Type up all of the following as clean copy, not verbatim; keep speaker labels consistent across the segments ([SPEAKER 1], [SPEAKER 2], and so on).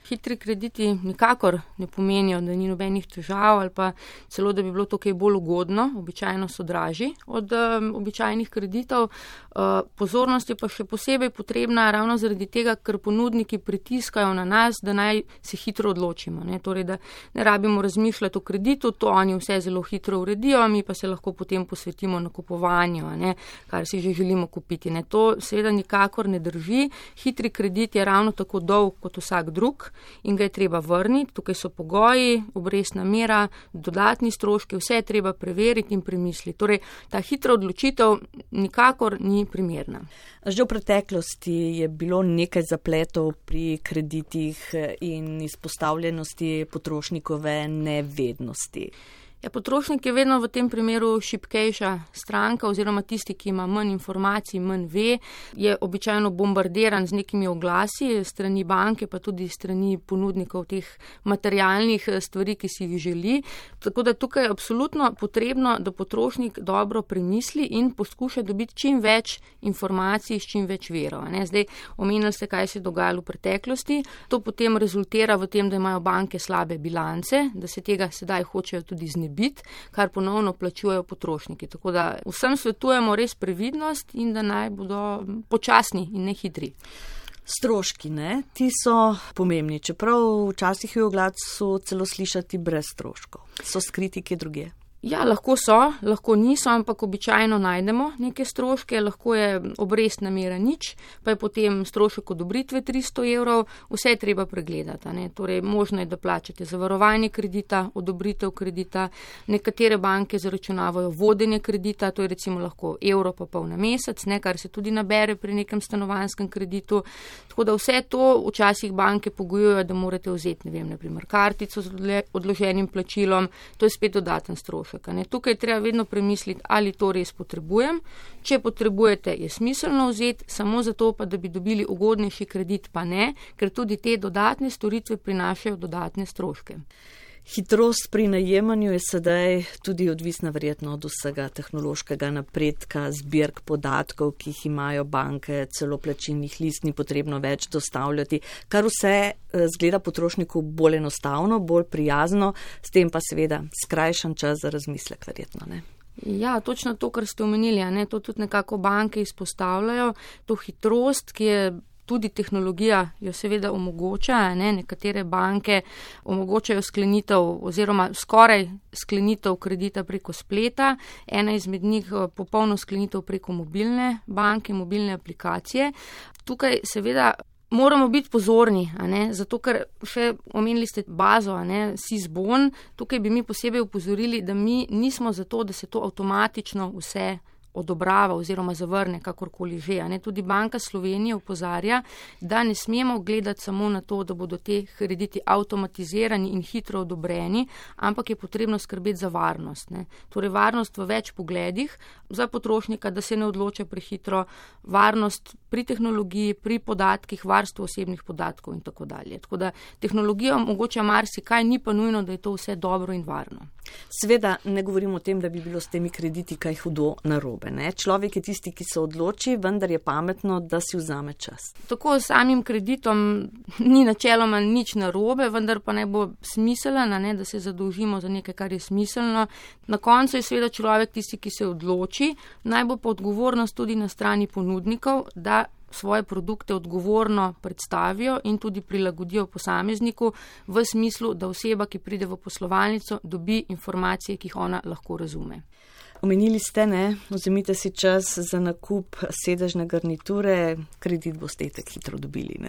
[SPEAKER 1] hitri krediti nikakor ne pomenijo, da ni nobenih težav ali pa celo, da bi bilo to kaj bolj ugodno, običajno so dražji od običajnih kreditov. Pozornost je pa še posebej potrebna ravno zaradi tega, ker ponudniki pritiskajo na nas, da naj se hitro odločimo. Torej, da ne rabimo razmišljati o kreditu, to oni vse zelo hitro uredijo, mi pa se lahko potem posvetimo nakupovanju, kar si že želimo kupiti. To seveda nikakor ne drži. Hitri kredit je ravno tako dolg kot vsak drug in ga je treba vrniti. Tukaj so pogoji, obrestna mera, dodatni stroški, vse je treba preveriti in premisliti. Torej, ta hitra odločitev nikakor ni primerna.
[SPEAKER 2] Že v preteklosti je bilo nekaj zapletov pri kreditih in izpostavljenosti potrošnikove nevednosti.
[SPEAKER 1] Potrošnik je vedno v tem primeru šibkejša stranka oziroma tisti, ki ima manj informacij, manj ve, je običajno bombardiran z nekimi oglasi strani banke, pa tudi strani ponudnikov teh materialnih stvari, ki si jih želi. Tako da tukaj je absolutno potrebno, da potrošnik dobro premisli in poskuša dobiti čim več informacij s čim več vero. Zdaj, omenili ste, kaj se je dogajalo v preteklosti. To potem rezultira v tem, da imajo banke slabe bilance, da se tega sedaj hočejo tudi znebiti, kar ponovno plačujejo potrošniki. Tako da vsem svetujemo res previdnost in da naj bodo počasni in ne hitri.
[SPEAKER 2] Stroški, ti so pomembni, čeprav včasih je v oglasu celo slišati brez stroškov. So skriti kje drugje?
[SPEAKER 1] Ja, lahko so, lahko niso, ampak običajno najdemo neke stroške, lahko je obrestna mera nič, pa je potem strošek odobritve 300 €, vse je treba pregledati. Torej, možno je, da plačate zavarovanje kredita, odobritev kredita, nekatere banke zaračunavajo vodenje kredita, to je recimo lahko evro pa pol na mesec, kar se tudi nabere pri nekem stanovanjskem kreditu. Tako da vse to včasih banke pogojujejo, da morate vzeti, naprimer kartico z odloženim plačilom, to je spet dodaten strošek. Tukaj treba vedno premisliti, ali to res potrebujem. Če potrebujete, je smiselno vzeti, samo zato pa, da bi dobili ugodnejši kredit, pa ne, ker tudi te dodatne storitve prinašajo dodatne stroške.
[SPEAKER 2] Hitrost pri najemanju je sedaj tudi odvisna verjetno od vsega tehnološkega napredka, zbirk podatkov, ki jih imajo banke, celo plačilnih list ni potrebno več dostavljati, kar vse zgleda potrošniku bolj enostavno, bolj prijazno, s tem pa seveda skrajšan čas za razmislek verjetno,
[SPEAKER 1] Ja, točno to, kar ste omenili, to tudi nekako banke izpostavljajo, to hitrost, ki je tudi tehnologija jo seveda omogoča, nekatere banke omogočajo sklenitev oziroma skoraj sklenitev kredita preko spleta, ena izmed njih popolno sklenitev preko mobilne banke, mobilne aplikacije. Tukaj seveda moramo biti pozorni, zato ker še omenili ste bazo, SIS-BON, tukaj bi mi posebej upozorili, da mi nismo zato, da se to avtomatično vse odobrava oziroma zavrne, kakorkoli že. Tudi Banka Slovenije opozarja, da ne smemo gledati samo na to, da bodo te krediti avtomatizirani in hitro odobreni, ampak je potrebno skrbeti za varnost. Torej varnost v več pogledih za potrošnika, da se ne odloča prehitro, varnost pri tehnologiji, pri podatkih, varstvo osebnih podatkov in tako dalje. Tako da tehnologija omogoča marsikaj, ni pa nujno, da je to vse dobro in varno.
[SPEAKER 2] Seveda ne govorimo o tem, da bi bilo s temi krediti kaj hudo narobe. Človek je tisti, ki se odloči, vendar je pametno, da si vzame čas.
[SPEAKER 1] Tako s samim kreditom ni načeloma nič narobe, vendar pa naj bo smiselno, da se zadolžimo za nekaj, kar je smiselno. Na koncu je seveda človek tisti, ki se odloči, naj bo pa odgovornost tudi na strani ponudnikov, da svoje produkte odgovorno predstavijo in tudi prilagodijo posamezniku v smislu, da oseba, ki pride v poslovalnico, dobi informacije, ki jih ona lahko razume.
[SPEAKER 2] Omenili ste, vzemite si čas za nakup sedežne garniture, kredit boste itak hitro dobili,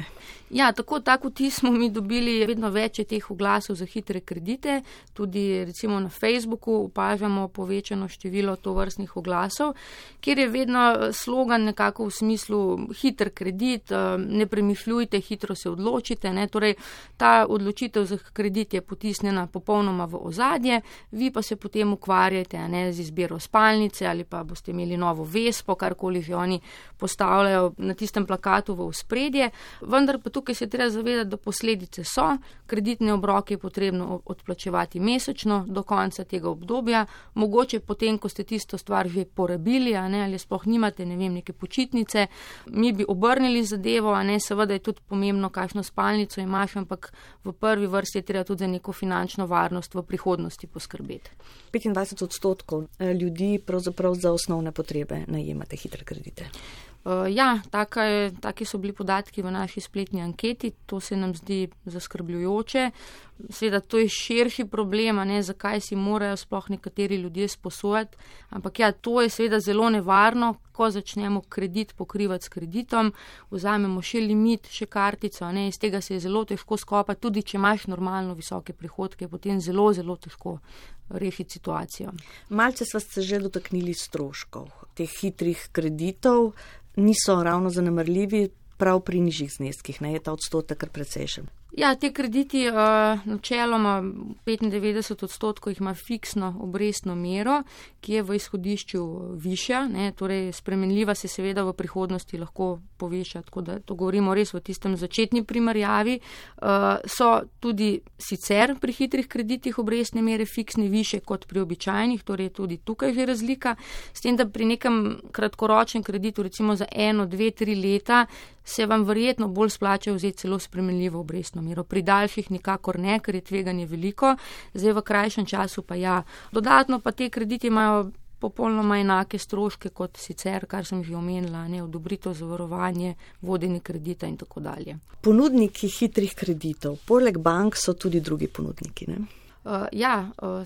[SPEAKER 1] Ja, tak vtis smo mi dobili, vedno več je teh oglasov za hitre kredite, tudi recimo na Facebooku opažamo povečano število tovrstnih oglasov, kjer je vedno slogan nekako v smislu hiter kredit, ne premišljujte, hitro se odločite, Torej, ta odločitev za kredit je potisnjena popolnoma v ozadje, vi pa se potem ukvarjate, z izbiro spalnice ali pa boste imeli novo Vespo, karkoli že oni postavljajo na tistem plakatu v ospredje. Vendar pa tukaj se treba zavedati, da posledice so. Kreditne obroke je potrebno odplačevati mesečno do konca tega obdobja. Mogoče potem, ko ste tisto stvar že porabili, ali sploh nimate, neke počitnice, mi bi obrnili zadevo, seveda je tudi pomembno, kakšno spalnico imaš, ampak v prvi vrsti je treba tudi za neko finančno varnost v prihodnosti poskrbeti.
[SPEAKER 2] 25% ljudi pravzaprav za osnovne potrebe najemate hitre kredite.
[SPEAKER 1] Ja, taki so bili podatki v naši spletni anketi, to se nam zdi zaskrbljujoče. Seveda, to je širši problem, zakaj si morajo sploh nekateri ljudje sposojati, ampak ja, to je seveda zelo nevarno, ko začnemo kredit pokrivati s kreditom, vzamemo še limit, še kartico, iz tega se je zelo težko skopati, tudi če imaš normalno visoke prihodke, potem zelo, zelo težko rešiti situacijo.
[SPEAKER 2] Malce sva se že dotaknili stroškov teh hitrih kreditov, niso ravno zanemarljivi, prav pri nižjih zneskih, je ta odstotek kar precejšen.
[SPEAKER 1] Ja, te krediti načeloma 95% jih ima fiksno obrestno mero, ki je v izhodišču višja, torej spremenljiva se seveda v prihodnosti lahko poveša, tako da to govorimo res v tistem začetni primerjavi. So tudi sicer pri hitrih kreditih obrestne mere fiksne više kot pri običajnih, torej je tudi tukaj že razlika, s tem, da pri nekem kratkoročnem kreditu, recimo za 1, 2, 3 leta, se vam verjetno bolj splača vzeti celo spremenljivo obrestno mero. Pri daljših nikakor ne, ker je tveganje veliko, zdaj v krajšem času pa ja. Dodatno pa te krediti imajo popolnoma enake stroške kot sicer, kar sem že omenila, odobritev, zavarovanje, vodenje kredita in tako dalje.
[SPEAKER 2] Ponudniki hitrih kreditov, poleg bank so tudi drugi ponudniki, ne?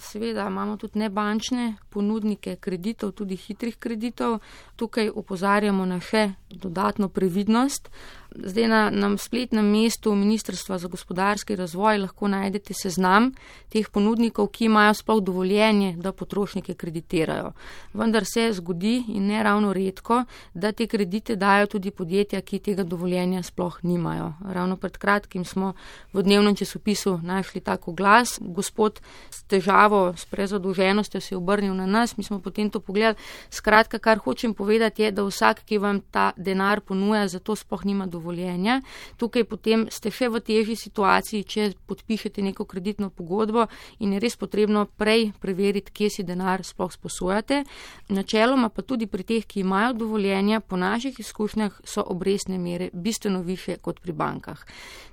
[SPEAKER 1] Seveda imamo tudi nebančne ponudnike kreditov, tudi hitrih kreditov. Tukaj opozarjamo na še dodatno previdnost. Zdaj na spletnem mestu Ministrstva za gospodarski razvoj lahko najdete seznam teh ponudnikov, ki imajo sploh dovoljenje, da potrošnike kreditirajo. Vendar se zgodi in ne ravno redko, da te kredite dajo tudi podjetja, ki tega dovoljenja sploh nimajo. Ravno pred kratkim smo v dnevnem časopisu našli tako glas. Gospod s težavo, s prezadolženostjo se je obrnil na nas, mi smo potem to pogledali. Skratka, kar hočem povedati je, da vsak, ki vam ta denar ponuja, zato sploh nima dovoljenja. Tukaj potem ste še v težji situaciji, če podpišete neko kreditno pogodbo in je res potrebno prej preveriti, kje si denar sploh sposojate. Načeloma pa tudi pri teh, ki imajo dovoljenja, po naših izkušnjah so obrestne mere bistveno više kot pri bankah.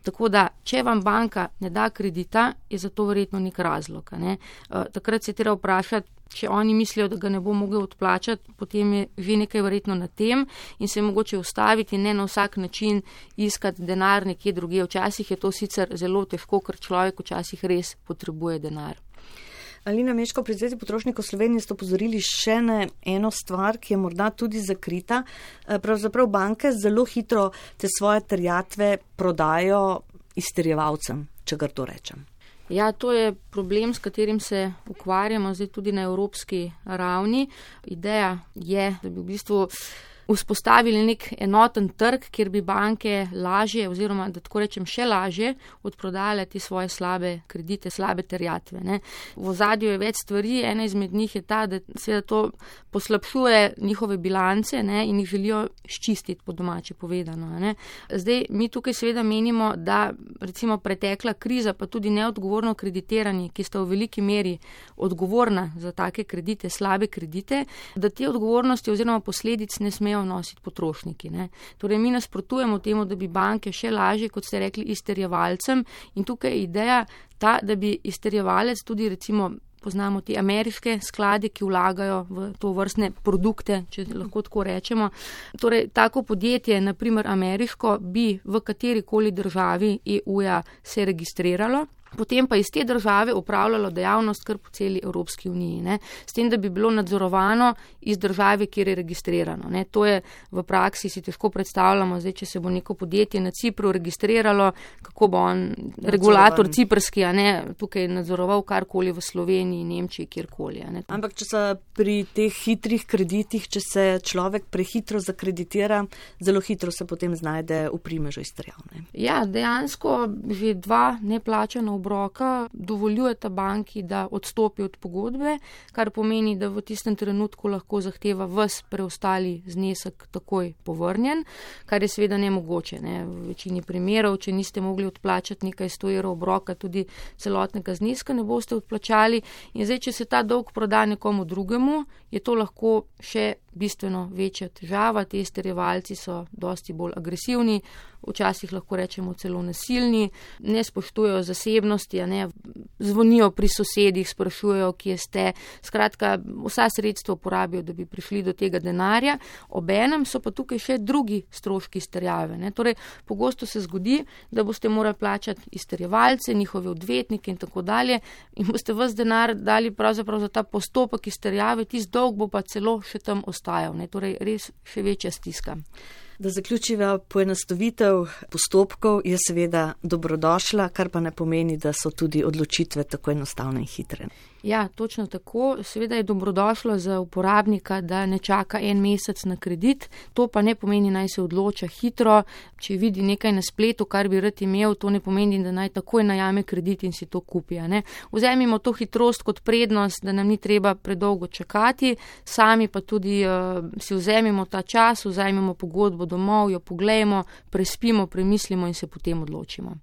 [SPEAKER 1] Tako da, če vam banka ne da kredita, je za to verjetno nek razlog. Takrat se treba vprašati, če oni mislijo, da ga ne bo mogel odplačati, potem je že nekaj verjetno na tem in se mogoče ustaviti in ne na vsak način iskati denar nekje drugje. Včasih je to sicer zelo težko, ker človek včasih res potrebuje denar.
[SPEAKER 2] Alina Meško, pri Zvezi potrošnikov Slovenije ste opozorili še na eno stvar, ki je morda tudi zakrita. Pravzaprav banke zelo hitro te svoje terjatve prodajo izterjevalcem, če gar to rečem.
[SPEAKER 1] Ja, to je problem, s katerim se ukvarjamo zdaj tudi na evropski ravni. Ideja je, da bi v bistvu vzpostavili nek enoten trg, kjer bi banke lažje oziroma, da tako rečem, še lažje odprodale te svoje slabe kredite, slabe terjatve. V ozadju je več stvari, ena izmed njih je ta, da seveda to poslabšuje njihove bilance in jih želijo ščistiti, po domače povedano. Zdaj, mi tukaj seveda menimo, da recimo pretekla kriza, pa tudi neodgovorno kreditiranje, ki sta v veliki meri odgovorna za take kredite, slabe kredite, da te odgovornosti oziroma posledic ne smejo nositi potrošniki. Torej, mi nasprotujemo temu, da bi banke še lažje, kot ste rekli, izterjevalcem in tukaj je ideja ta, da bi izterjevalec tudi recimo poznamo te ameriške sklade, ki vlagajo v to vrstne produkte, če lahko tako rečemo. Torej, tako podjetje, naprimer ameriško, bi v katerikoli državi EU-ja se registriralo, potem pa iz te države upravljalo dejavnost kar po celi Evropski uniji. S tem, da bi bilo nadzorovano iz države, kjer je registrirano. To je v praksi, si težko predstavljamo, zdaj, če se bo neko podjetje na Cipru registriralo, kako bo on, regulator ciprski, tukaj nadzoroval karkoli v Sloveniji, Nemčiji, kjerkoli.
[SPEAKER 2] Ampak, če se pri teh hitrih kreditih, če se človek prehitro zakreditira, zelo hitro se potem znajde v primežu izterjav.
[SPEAKER 1] Ja, dejansko že 2 neplačana obroka dovoljujeta banki, da odstopi od pogodbe, kar pomeni, da v tistem trenutku lahko zahteva ves preostali znesek takoj povrnjen, kar je seveda nemogoče. Ne. V večini primerov, če niste mogli odplačati nekaj 100 evrov obroka, tudi celotnega zneska ne boste odplačali. In zdaj, če se ta dolg proda nekomu drugemu, je to lahko še bistveno večja težava. Ti izterjevalci so dosti bolj agresivni, včasih lahko rečemo celo nasilni, ne spoštujejo zasebnosti, ne, zvonijo pri sosedih, sprašujejo, kje ste. Skratka, vsa sredstva uporabijo, da bi prišli do tega denarja. Obenem so pa tukaj še drugi stroški izterjave. Ne. Torej, pogosto se zgodi, da boste morali plačati izterjevalce, njihove odvetnike in tako dalje in boste ves denar dali pravzaprav za ta postopek izterjave, tisti dolg bo pa celo še tam ostajal. Ne. Torej, res še večja stiska.
[SPEAKER 2] Da zaključiva, poenostavitev postopkov je seveda dobrodošla, kar pa ne pomeni, da so tudi odločitve tako enostavne in hitre.
[SPEAKER 1] Ja, točno tako. Seveda je dobrodošlo za uporabnika, da ne čaka en mesec na kredit. To pa ne pomeni, naj se odloča hitro. Če vidi nekaj na spletu, kar bi rad imel, to ne pomeni, da naj takoj najame kredit in si to kupi. Ne? Vzemimo to hitrost kot prednost, da nam ni treba predolgo čakati, sami pa tudi si vzemimo ta čas, vzemimo pogodbo domov, jo poglejmo, prespimo, premislimo in se potem odločimo.